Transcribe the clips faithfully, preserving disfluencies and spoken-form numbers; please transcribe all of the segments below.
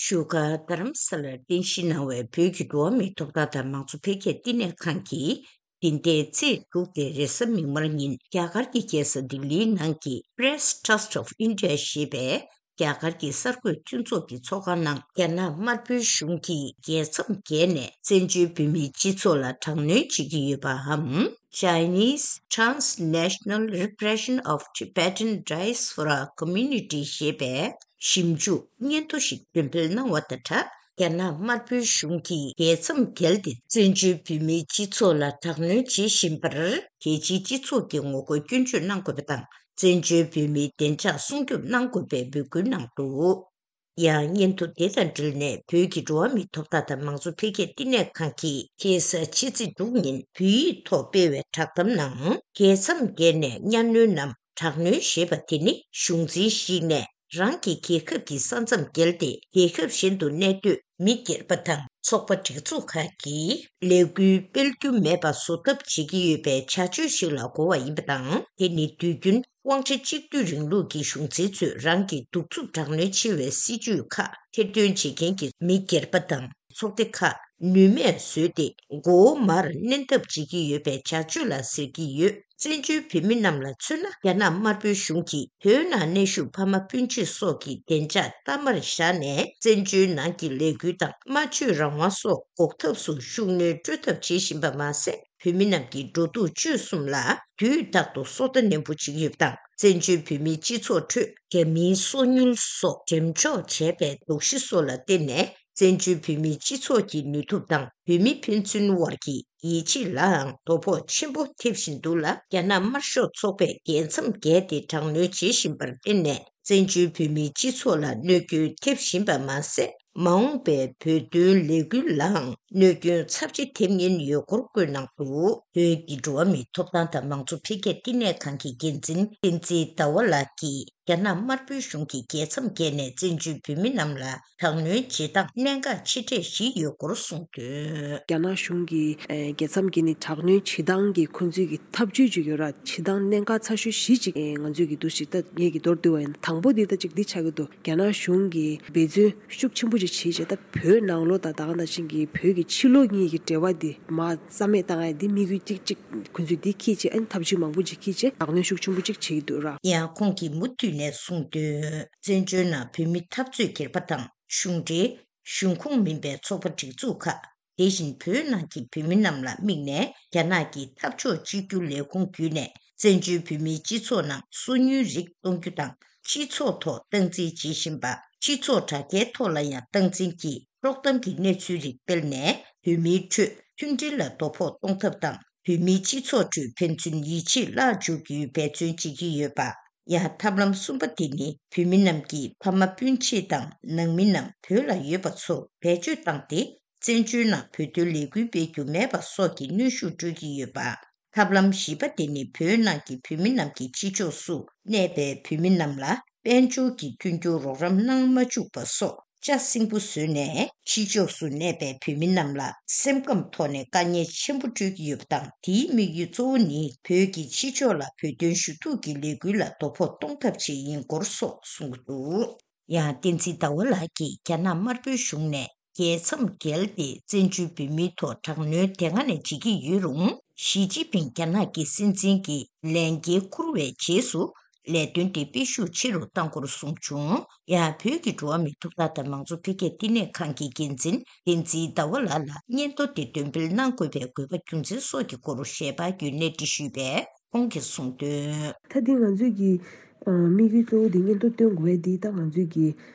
བཞུགས་སྒར་རྡ་རམ་ས་ལར་རྟེན་གཞི་གནང་བའི་བོད་ཀྱི་འགྲོ་བ་མིའི་ཐོབ་ཐང་དང་མང་གཙོ་འཕེལ་རྒྱས་བསྟི་གནས་ཁང་གིས། འདི་ཟླའི་ཚེས་དྲུག་སྟེ་རེས་གཟའ་མིག་དམར་ཉིན་རྒྱ་གར་གྱི་རྒྱལ་ས་ལྡི་ལིའི་ནང་གི་Press Trust of India ཞེས་པའི་རྒྱ་གར་གྱི་གསར་འགོད་མཐུན་ཚོགས་ཀྱི་ཚོགས་ཁང་ནང་། རྒྱ་ནག་དམར་པོའི་གཞུང་གིས་རྒྱལ་མཚམས་བརྒལ་ནས་བཙན་བྱོལ་བོད་མིའི་སྤྱི་ཚོགས་ལ་དྲག་གནོན་བྱེད་ཀྱི་ཡོད་པའམ། Chinese Transnational Repression of Tibetan Diaspora Community ཞེས་པའི་ཞིབ་འཇུག་སྙན་ཐོ་ཞིག་འདོན་སྤེལ་གནང་བ་དང་སྦྲགས། རྒྱ་ནག་དམར་པོའི་གཞུང་གིས་རྒྱལ་མཚམས་བརྒལ་ཏེ་བཙན་བྱོལ་བོད་མིའི་སྤྱི་ཚོགས་ལ་དྲག་གནོན་བྱེད་བཞིན་པར། རྒྱལ་སྤྱིའི་སྤྱི་ཚོགས་ཀྱིས་ངོ་རྒོལ་སྐྱོན་བརྗོད་གནང་དགོས་པ་དང་། བཙན་བྱོལ་བོད་མིའི་བདེ་འཇགས་སྲུང་སྐྱོབ་གནང་དགོས་པའི་འབོད་སྐུལ་གནང་འདུག། ཡང་སྙན་ཐོ་དེ་དང་འབྲེལ་ནས། བོད་ཀྱི་འགྲོ་བ་མིའི་ཐོབ་ཐང་དང་མང་གཙོ་འཕེལ་རྒྱས་བསྟི་གནས་ཁང་གིས་ཁ་སང་ཕྱི་ཚེས་དྲུག་ཉིན་བོད་ཡིག་ཐོག་སྤེལ་བའི་བསྒྲགས་གཏམ་ནང་། རྒྱལ་མཚམས་བརྒལ་ནས་གཉའ་གནོན་ནམ་དྲག་གནོན་ཞེས་པ་དེ་ནི། གཞུང་འཛིན་ཞིག་ནས་རང་གི་རྒྱལ་ཁབ་ཀྱི་ས་མཚམས་བརྒལ་ཏེ། རྒྱལ་ཁབ་གཞན་དུ་གནས་སྡོད་མི་སྒེར་པ་དང་ཚོགས་པ་སྒྲིག་འཛུགས་ཁག་གིས་ལས་འགུལ་སྤེལ་རྒྱུ་མེད་པ་བཟོ་ཐབས་བྱེད་ཀྱི་ཡོད་པའི་བྱ་སྤྱོད་ཞིག་ལ་གོ་བ་ཡིན་པ་དང་། དེ་ནི་དུས་རྒྱུན་དབང་ཆ་གཅིག་སྡུད་རིང་ལུགས་ཀྱི་གཞུང་འཛིན་ཚོས་རང་གི་གདུག་རྩུབ་དྲག་གནོན་ཆེ་བའི་སྲིད་བྱུས་ཁག་ཐེར་འདོན་བྱེད་མཁན་གྱི་མི་སྒེར་པ་དང་ཚོགས་སྡེ་ཁག་ནུས་མེད་བཟོས་ཏེ། མགོ་བོ་མར་མནན་ཐབས་བྱེད་ཀྱི་ཡོད་པའི་བྱ་སྤྱོད་ལ་ཟེར་གྱི་ཡོད། བཙན་བྱོལ་བོད་མི་རྣམས་ལ་མཚོན་ན། རྒྱ་ནག་དམར་པོའི་གཞུང་གིས་བོད་ནང་གནས་བཞུགས་ཕ་མ་སྤུན་མཆེད་སོགས་ཀྱི་བདེ་འཇགས་གཏའ་མར་བཞག་ནས། བཙན་བྱོལ་ནང་གི་ལས་འགུལ་དང་སྨྲ་བརྗོད་རང་དབང་སོགས་འགོག་ཐབས་སུ་ཤུགས་སྣོན་སྤྲོད་ཐབས་བྱེད་བཞིན་པ་མ་ཟད། བོད་མི་རྣམས་ཀྱི་འགྲོ་འདུག་སྤྱོད་གསུམ་ལ་དུས་རྟག་ཏུ་སོ་ལྟ་ནན་པོ་བྱེད་ཀྱི་ཡོད་པ་དང་། བཙན་བྱོལ་བོད་མིའི་སྤྱི་ཚོགས་ཁྲོད་རྒྱ་མིའི་སོ་ཉུལ་སོགས་འགྲེམས་འཇོག་བྱས་པའི་དོགས་གཞི་སོགས་ལ་བརྟེན་ནས། བཙན་བྱོལ་བོད་མིའི་སྤྱི་ཚོགས་ཀྱི་ནུས་སྟོབས་དང་བོད་མི་ཕན་ཚུན་དབར་གྱི་ཡིད་ཆེས་ལའང་དོ་ཕོག་ཆེན་པོ་ཐེབས་བཞིན་འདུག་ལ། རྒྱ་ནག་དམར་ཤོག་ཚོགས་པས་རྒྱལ་མཚམས་བརྒལ་ཏེ་དྲག་གནོན་བྱེད་བཞིན་པར་བརྟེན་ནས། བཙན་བྱོལ་བོད་མིའི་སྤྱི་ཚོགས་ལ་གནོད་སྐྱོན་ཐེབས་བཞིན་པ་མ་ཟད། མ་འོངས་པའི་བོད་དོན་ལས་འགུལ་ལའང་གནོད་སྐྱོན་ཚབས་ཆེ་ཐེབས་ཉེན་ཡོད་སྐོར་བཀོད་གནང་འདུག། བོད་ཀྱི་འགྲོ་བ་མིའི་ཐོབ་ཐང་དང་མང་གཙོ་འཕེལ་རྒྱས་བསྟི་གནས་ཁང་གི་འགན་འཛིན་བསྟན་འཛིན་ཟླ་བ་ལགས་ཀྱིས། རྒྱ་ནག་དམར་པོའི་གཞུང་གིས་རྒྱལ་མཚམས་བརྒལ་ནས་བཙན་བྱོལ་བོད་མི་རྣམས་ལ་དྲག་གནོན་བྱེད་སྟངས་གནད་འགག་ཆེ་གྲས་ཤིག་ཡོད་སྐོར་གསུངས་དོན། རྒྱ་ནག་གཞུང་གིས་ཨེ། རྒྱལ་མཚམས་བརྒལ་ནས་དྲག་གནོན་བྱེད་སྟངས་ཀྱི་ཁོང་ཚོའི་གི་ཐབས་ཇུས་ཅིག་ཡོད་ར། བྱེད་སྟངས་གནད་འགག་ཚ་ཤོས་བཞི་ཅིག་ཨེ། ང་ཚོས་ཀྱི་འདུ་ཤེས་ད་ངེད་ཀྱི་མདོར་བསྡུས་པ་ཡིན། དང་པོ་འདི་ད་ཅིག་འདི་ཆགས་ཀྱི་འདུག། རྒྱ་ནག་གཞུང་གིས་འབད་བརྩོན་ཤུགས་ཆེན་པོ་ཅིག་བྱེད་བྱས། ད་བོད་ནང་ལོགས་དང་ད་ག་ནང་བཞིན་གྱི་བོད་ཀྱི་ཕྱི་ལོགས་གཉིས་ཀྱི་འབྲེལ་བ་འདི་མར་རྩ་མེད་བཏང་ཡ་འདི་དམིགས་ཡུལ་གཅིག་གཅིག་ཁོང་ཚོས་འདི་འཁྱེར་བྱས། ཨ་ནི་ཐབས་ཇུས་མང་པོ་ཅིག་འཁྱེར་བྱས་དྲག་གནོན་ཤུགས་ཆེན་པོ་ཅིག་བྱེད་ཀྱི་འདུག་ར། ཡང་ཁོང་གིས་མུ་མཐུད་ནས་གསུངས་དོན། བཙན་བྱོལ་ནང་བོད་མི་འཐབ་རྩོད་སྒེར་པ་དང་གཞུང་འབྲེལ། གཞུང་ཁོངས་མིན་པའི་ཚོགས་པ་སྒྲིག་འཛུགས་ཁག། དེ་བཞིན་བོད་ནང་གི་བོད་མི་རྣམས་ལ་དམིགས་ནས། རྒྱ་ནག་གི་འཐབ་ཕྱོགས་གཅིག་གྱུར་ལས་ཁུངས་བརྒྱུད་ནས། བཙན་བྱོལ་བོད་མིའི་སྤྱི་ཚོགས་ནང་སོ་ཉུལ་རིགས་གཏོང་རྒྱུ་དང་། སྤྱི་ཚོགས་ཐོག་སྟངས་འཛིན་བྱེད་བཞིན་པ། སྤྱི་ཚོགས་དྲ་རྒྱའི་ཐོག་ལ་ཡང་སྟངས་འཛིན་གྱིས་དཀྲོག་གཏམ་གྱི་གནས་ཚུལ་རིགས་སྤེལ་ནས། བོད་མིའི་ཁྲོད་མཐུན་སྒྲིལ་ལ་དོ་ཕོག་གཏོང་ཐབས་དང་། བོད་མིའི་སྤྱི་ཚོགས་ཁྲོད་ཕན་ཚུན་ཡིད་ཆེས་བརླག་འཇུག་རྒྱུའི་འབད་བརྩོན་བྱེད་ཀྱི་ཡོད་པ། ཡང་ཐབས་ལམ་གསུམ་པ་དེ་ནི། བོད་མི་རྣམས་ཀྱི་ཕ་མ་སྤུན་མཆེད་དང་ནང་མི་རྣམས་བོད་ལ་ཡོད་པ་ཚོར་བེད་སྤྱོད་བཏང་སྟེ། བཙན་བྱོལ་ནང་བོད་དོན་ལས་འགུལ་སྤེལ་རྒྱུ་མེད་པ་སོགས་ཀྱི་གནོན་ཤུགས་སྤྲོད་ཀྱི་ཡོད་པ། ཐབས་ལམ་བཞི་པ་དེ་ནི། བོད་ནང་གི་བོད་མི་རྣམས་ཀྱིས་ཕྱི་ཕྱོགས་སུ་གནས་པའི་བོད་མི་རྣམས་ལ་དཔལ་འབྱོར་གྱི་མཐུན་འགྱུར་རོགས་རམ་གནང་མ་བཅུག་པ་སོགས། ལྕགས་སྲིན་པོ་བཟོས་ནས། ཕྱི་ཕྱོགས་སུ་གནས་པའི་བོད་མི་རྣམས་ལ་སེམས་ཁམས་ཐོག་ནས་དཀའ་ངལ་ཆེན་པོ་སྤྲོད་ཀྱི་ཡོད་པ་དང་། དེའི་དམིགས་ཡུལ་གཙོ་བོ་ནི། བོད་ཀྱིས་ཕྱི་ཕྱོགས་ལ་བོད་དོན་ཞུ་གཏུག་གི་ལས་འགུལ་ལ་དོ་ཕོག་གཏོང་ཐབས་ཆེད་ཡིན་སྐོར་སོགས་གསུངས་འདུག། ཡང་བསྟན་འཛིན་ཟླ་བ་ལགས་ཀྱིས། རྒྱ་ནག་དམར་པོའི་གཞུང་ནས་རྒྱལ་མཚམས་བརྒལ་ཏེ། བཙན་བྱོལ་བོད་མིའི་ཐོག་དྲག་གནོན་དེ་སྔ་ནས་བྱེད་ཀྱི་ཡོད་རུང་། ཞི་ཅིན་ཕིང་རྒྱ་ནག་གི་སྲིད་འཛིན་གྱི་ལས་འགན་འཁུར་བའི་རྗེས་སུ། ལས་དོན་དེ་སྤེལ་ཤུགས་ཆེ་རུ་གཏང་སྐོར་གསུངས་བྱུང་། ཡང་བོད་ཀྱི་འགྲོ་བ་མིའི་ཐོབ་ཐང་དང་མང་གཙོ་འཕེལ་རྒྱས་བསྟི་གནས་ཁང་གི་འགན་འཛིན་བསྟན་འཛིན་ཟླ་བ་ལགས་ལ་སྙན་ཐོ་དེ་འདོན་སྤེལ་གནང་དགོས་པའི་དགོས་པ་རྒྱུ་མཚན་སོགས་ཀྱི་སྐོར་ཞལ་པར་བརྒྱུད་གནས་འདྲི་ཞུས་པས། ཁོང་གིས་གསུངས་དོན། ད་འདི་ང་ཚོས་ཀྱི་ཨ་དམིགས་ཡུལ་གཙོ་བོ་འདི་སྙན་ཐོ་བཏོན་དགོས་པ་འདི། ད་ང་ཚོས་ཀྱི་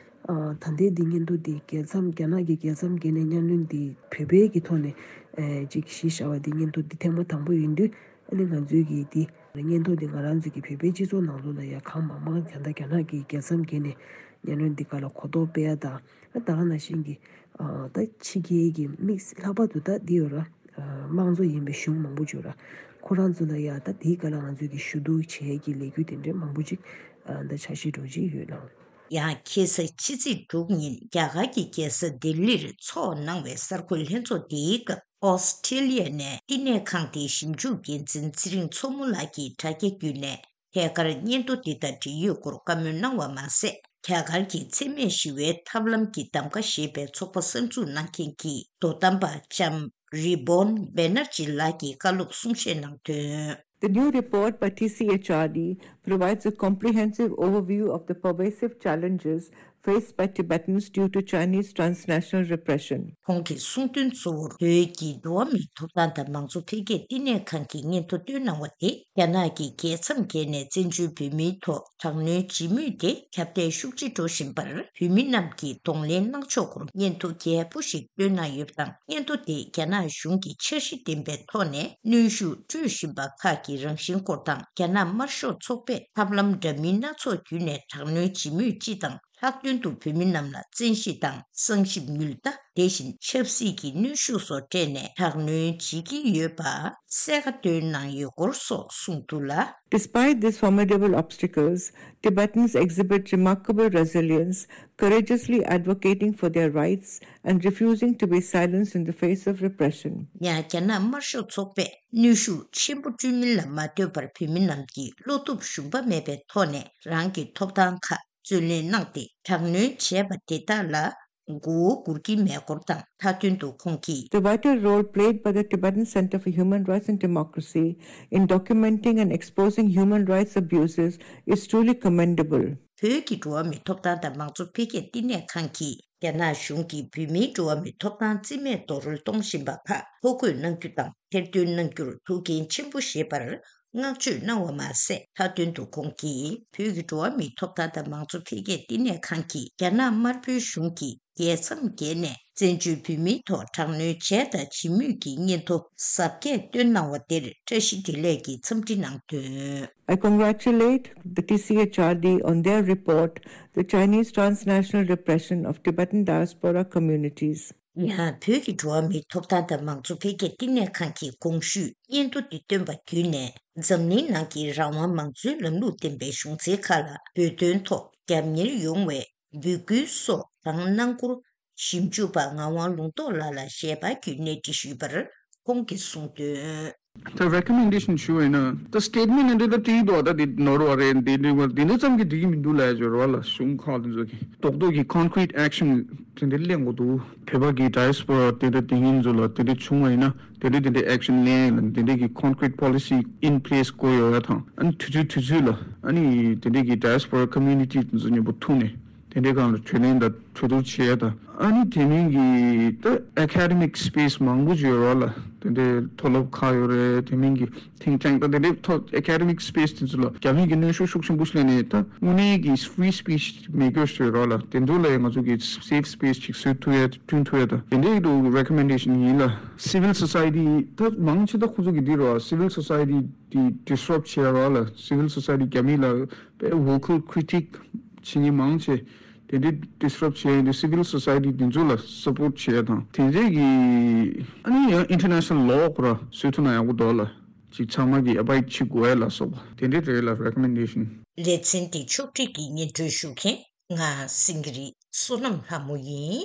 ཨ་ད་ལྟའི་འདི་སྙན་ཐོ་འདི་རྒྱལ་མཚམས། རྒྱ་ནག་གི་རྒྱལ་མཚམས་བརྒལ་ནས་གཉའ་གནོན་འདི་བོད་པའི་གི་ཐོག་ནས་ཨེ་ཅིག་གཞི་བཞག་པ་འདི། སྙན་ཐོ་འདི་ཐེངས་མ་དང་པོ་ཡིན་དུས། ཨ་ནི་ང་ཚོས་ཀྱི་འདི་སྙན་ཐོ་འདི་ང་རང་ཚོ་གི་བོད་པའི་སྤྱི་ཚོགས་ནང་ལོགས་ལ་ཡ་གང་མང་མང་། ད་ལྟ་རྒྱ་ནག་གི་རྒྱལ་མཚམས་བརྒལ་ནས་གཉའ་གནོན་འདི་ག་ལ་གོ་རྟོགས་སྤེལ་ཡ་དང་། ཨ་ད་ག་ནང་བཞིན་གྱི་ཨ་ད་ཕྱི་རྒྱལ་གྱི་དམིགས། ལྷག་པར་དུ་ད་འདི་ཡོད་ར། ཨ་དམངས་གཙོ་ཡིན་པའི་གཞུང་མང་པོ་ཅིག་ཡོད་ར། ཁོ་རང་ཚོ་ལ་ཡ་ད་དེའི་སྒང་ལ་ང་ཚོས་ཀྱི་ཞུ་གཏུག་བྱེད་ཀྱི་ལས་འགུལ་དེ་འདྲའི་མང་པོ་ཅིག་ཨ་ད་འཆར་གཞི་འདྲ་ཅིག་ཡོད་ལགས། ཡང་ཁ་སང་ཕྱི་ཚེས་དྲུག་ཉིན་རྒྱ་གར་གྱི་རྒྱལ་ས་ལྡི་ལིར་ཚོགས་གནང་བའི་གསར་འགོད་ལྷན་ཚོགས་དེའི་སྐབས། ཨོ་སི་ཀྲི་ལི་ཡ་ནས་བསྟི་གནས་ཁང་དེའི་ཞིབ་འཇུག་འགན་འཛིན་ཚེ་རིང་མཚོ་མོ་ལགས་ཀྱིས་དྲ་རྒྱ་བརྒྱུད་ནས། ཐད་ཀར་སྙན་ཐོ་འདི་དང་འབྲེལ་ཡོད་སྐོར་བཀའ་མོལ་གནང་བ་མ་ཟད། རྒྱ་གར་གྱི་འཚེ་མེད་ཞི་བའི་ཐབས་ལམ་གྱི་གདམ་ག་ཞེས་པའི་ཚོགས་པ་གསར་འཛུགས་གནང་མཁན་གྱི་དོ་དམ་པ་ལྕམ་Reboon Banerjee ལགས་ཀྱིས་བཀའ་སློབ་གསུང་བཤད་གནང་དོན། The new report by T C H R D provides a comprehensive overview of the pervasive challenges faced by Tibetans due to Chinese transnational repression. ཁོང་གིས་གསུངས་དོན་གཙོ་བོར་བོད་ཀྱི་འགྲོ་བ་མིའི་ཐོབ་ཐང་དང་མང་གཙོ་འཕེལ་རྒྱས་བསྟི་གནས་ཁང་གི་སྙན་ཐོ་བཏོན་གནང་བ་དེ། རྒྱ་ནག་གིས་རྒྱལ་མཚམས་བརྒལ་ནས་བཙན་བྱོལ་བོད་མིའི་ཐོག་དྲག་གནོན་བྱེད་མུས་དེ་ཁྱབ་གདལ་ཤུགས་ཆེ་འགྲོ་བཞིན་པར། བོད་མི་རྣམས་ཀྱིས་གདོང་ལེན་གནང་ཕྱོགས་སྐོར་སྙན་ཐོ་རྒྱས་པོ་ཞིག་བཏོན་གནང་ཡོད་པ་དང་། སྙན་ཐོ་དེས་རྒྱ་ནག་གཞུང་གིས་འཆར་གཞི་ལྡན་པའི་ཐོག་ནས་གནོན་ཤུགས་སྤྲོད་བཞིན་པ་ཁག་གི་རང་བཞིན་སྐོར་དང་། རྒྱ་ནག་དམར་ཤོག་ཚོགས་པས་ཐབས་ལམ་འདྲ་མིན་སྣ་ཚོགས་བརྒྱུད་ནས་དྲག་གནོན་བྱེད་མུས་སྤྱི་དང་། ལྷག་དོན་དུ་བོད་མི་རྣམས་ལ་བཙན་ཤེད་དང་གསང་ཞིབ་ཉུལ་ལྟ། དེ་བཞིན་ཆབ་སྲིད་ཀྱི་གནོན་ཤུགས་སོགས་སྤྲད་ནས་དྲག་གནོན་བྱེད་ཀྱི་ཡོད་པ་གསལ་ཁ་བཏོན་གནང་ཡོད་སྐོར་སོགས་གསུངས་འདུག་ལ། Despite these formidable obstacles, Tibetans exhibit remarkable resilience, courageously advocating for their rights and refusing to be silenced in the face of repression. ཡང་རྒྱ་ནག་དམར་ཤོག་ཚོགས་པས་གནོན་ཤུགས་ཆེན་པོ་སྤྲོད་མིན་ལ་མ་ལྟོས་པར། བོད་མི་རྣམས་ཀྱིས་བློ་སྟོབས་ཞུམ་པ་མེད་པའི་ཐོག་ནས་རང་གི་ཐོབ་ཐང་ཁག་རྩོད་ལེན་གནང་སྟེ། དྲག་གནོན་བྱས་པ་དེ་དག་ལ་མགོ་བོ་སྒུར་གྱི་མེད་སྐོར་དང་། མཐའ་དོན་དུ་ཁོང་གིས། The vital role played by the Tibetan Center for Human Rights and Democracy in documenting and exposing human rights abuses is truly commendable. བོད་ཀྱི་འགྲོ་བ་མིའི་ཐོབ་ཐང་དང་མང་གཙོ་འཕེལ་རྒྱས་བསྟི་གནས་ཁང་གིས། རྒྱ་ནག་གཞུང་གིས་བོད་མིའི་འགྲོ་བ་མིའི་ཐོབ་ཐང་རྩིས་མེད་རྡོག་རོལ་གཏོང་བཞིན་པ་ཁག་ཐོ་འགོད་གནང་རྒྱུ་དང་ཐེར་འདོན་གནང་རྒྱུར་ཐུགས་འགན་ཆེན་པོ་བཞེས་པར་བསྔགས་བརྗོད་གནང་བ་མ་ཟད། མཐའ་དོན་དུ་ཁོང་གིས་བོད་ཀྱི་འགྲོ་བ་མིའི་ཐོབ་ཐང་དང་མང་གཙོ་འཕེལ་རྒྱས་བསྟི་གནས་ཁང་གིས་རྒྱ་ནག་དམར་པོའི་གཞུང་གིས་རྒྱལ་མཚམས་བརྒལ་ནས་བཙན་བྱོལ་བོད་མིའི་ཐོག་དྲག་གནོན་བྱས་དང་བྱེད་མུས་ཀྱི་སྙན་ཐོ་གཟབ་རྒྱས་བཏོན་གནང་བ་དེར་བཀྲ་ཤིས་བདེ་ལེགས་ཀྱིས་འཚམས་འདྲི་གནང་དོན། I congratulate the T C H R D on their report, The Chinese Transnational Repression of Tibetan Diaspora Communities. ཡང་བོད་ཀྱི་འགྲོ་བ་མིའི་ཐོབ་ཐང་དང་མང་གཙོ་འཕེལ་རྒྱས་བསྟི་གནས་ཁང་གིས་གོང་ཞུས་སྙན་ཐོ་འདི་བཏོན་པ་བརྒྱུད་ནས། འཛམ་གླིང་ནང་གི་རང་དབང་མང་གཙོའི་ལམ་ལུགས་ལྡན་པའི་གཞུང་འཛིན་ཁག་ལ་བོད་དོན་ཐོག་རྒྱབ་གཉེར་ཡོང་བའི་འབོད་སྐུལ་སོགས་དང་། གནང་སྐོར་ཞིབ་འཇུག་པ་ངག་དབང་ལུང་རྟོགས་ལགས་ལ་ཞལ་པར་བརྒྱུད་གནས་འདྲི་ཞུས་པར། ཁོང་གིས་གསུངས་དོན། ད་recommendation ཞུ་བ་ཡིན་ན། ད་statement འདི་ད་བྲིས་འདུག་ད་འདི་ནོར་བ་རེད། འདི་འདི་འདི་འདི་ཙམ་གྱིས་འགྲིག་གི་མི་འདུག་ལབ་ཡ་ཅིག་ཡོད་རེད་བ་ལ། གཞུང་ཁག་དེ་ཚོ་གིས་རྡོག་རྡོག་གི་concrete action དེ་འདྲ་ལེན་དགོས་འདུག་བོད་པ་གི་diaspora དེ་འདྲ་དེ་ཡིན་ཚོ་ལ་དེ་འདྲ་བྱུང་བ་ཡིན་ན། དེ་འདྲ་དེ་འདྲ་action ལེན་ལ་དེ་འདྲ་གི་concrete policy in place དགོས་ཡོད་ཡ་དང་། ཨ་ནི་དུས་ཚོད་དུས་ཚོད་ལ་ཨ་ནི་དེ་འདྲ་གི་diaspora community དེ་ཚོ་མཉམ་པོ་ཐུག་ནས། དེ་འདྲའི་སྒང་ལ་གྲོས་གླེང་དང་གྲོས་བསྡུར་བྱེད་ཡ་དང་། ཨ་ནི་དེ་མིན་གྱི་ད་academic space མང་པོ་ཅིག་ཡོད་རེད་བ་ལ། དེ་འདྲའི་མཐོ་སློབ་ཁག་ཡོད་རེད། དེ་མིན་གྱི་think tank དང་དེ་འདྲའི་ཐོག་academic space དེ་ཚོ་ལ་རྒྱ་མི་གི་གནོན་ཤུགས་ཤུགས་ཆེན་པོ་ཞིག་སླེབས་ནས། ད་དངོས་གནས་ཀྱི་free speech མེད་རྒྱུ་ཞིག་ཡོད་རེད་བ་ལ། དེ་ཚོ་ལ་ཡང་ང་ཚོ་གི་safe space ཅིག་བཟོ་ཐུབ་ཡ་བསྐྲུན་ཐུབ་ཡ་དང་། དེ་འདྲའི་གི་recommendation ཡིན་ལ། Civil society ད་མང་ཆེ་ད་ཁོ་ཚོ་གི་འདི་རེད་བ། Civil society དེ་disrupt བྱས་ར་ལ། Civil society རྒྱ་མི་ལ་དཔེ་vocal critic བྱེད་མཁན་མང་ཆེ་དེ་འདྲའི་disrupt བྱས་ཡིན་དུས། Civil society དེ་ཚོ་ལ་support བྱེད་ཡ་དང་། དེ་འདྲའི་གི་ཨ་ནི་ཡང་international law སྐོར་བཟོ་ཐུབ་ན་ཡག་པོ་འདུག་ལ། ཅིག་ཚང་མ་གི་abide བྱེད་དགོས་ཡ་ལ་སོགས་པ་དེ་འདྲའི་རེད་ལ། recommendation། ལེ་ཚན་འདི་ཕྱོགས་སྒྲིག་གིས་སྙན་སྒྲོན་ཞུ་མཁན་ང་སེང་གེ་རི་བསོད་ནམས་ལྷ་མོ་ཡིན།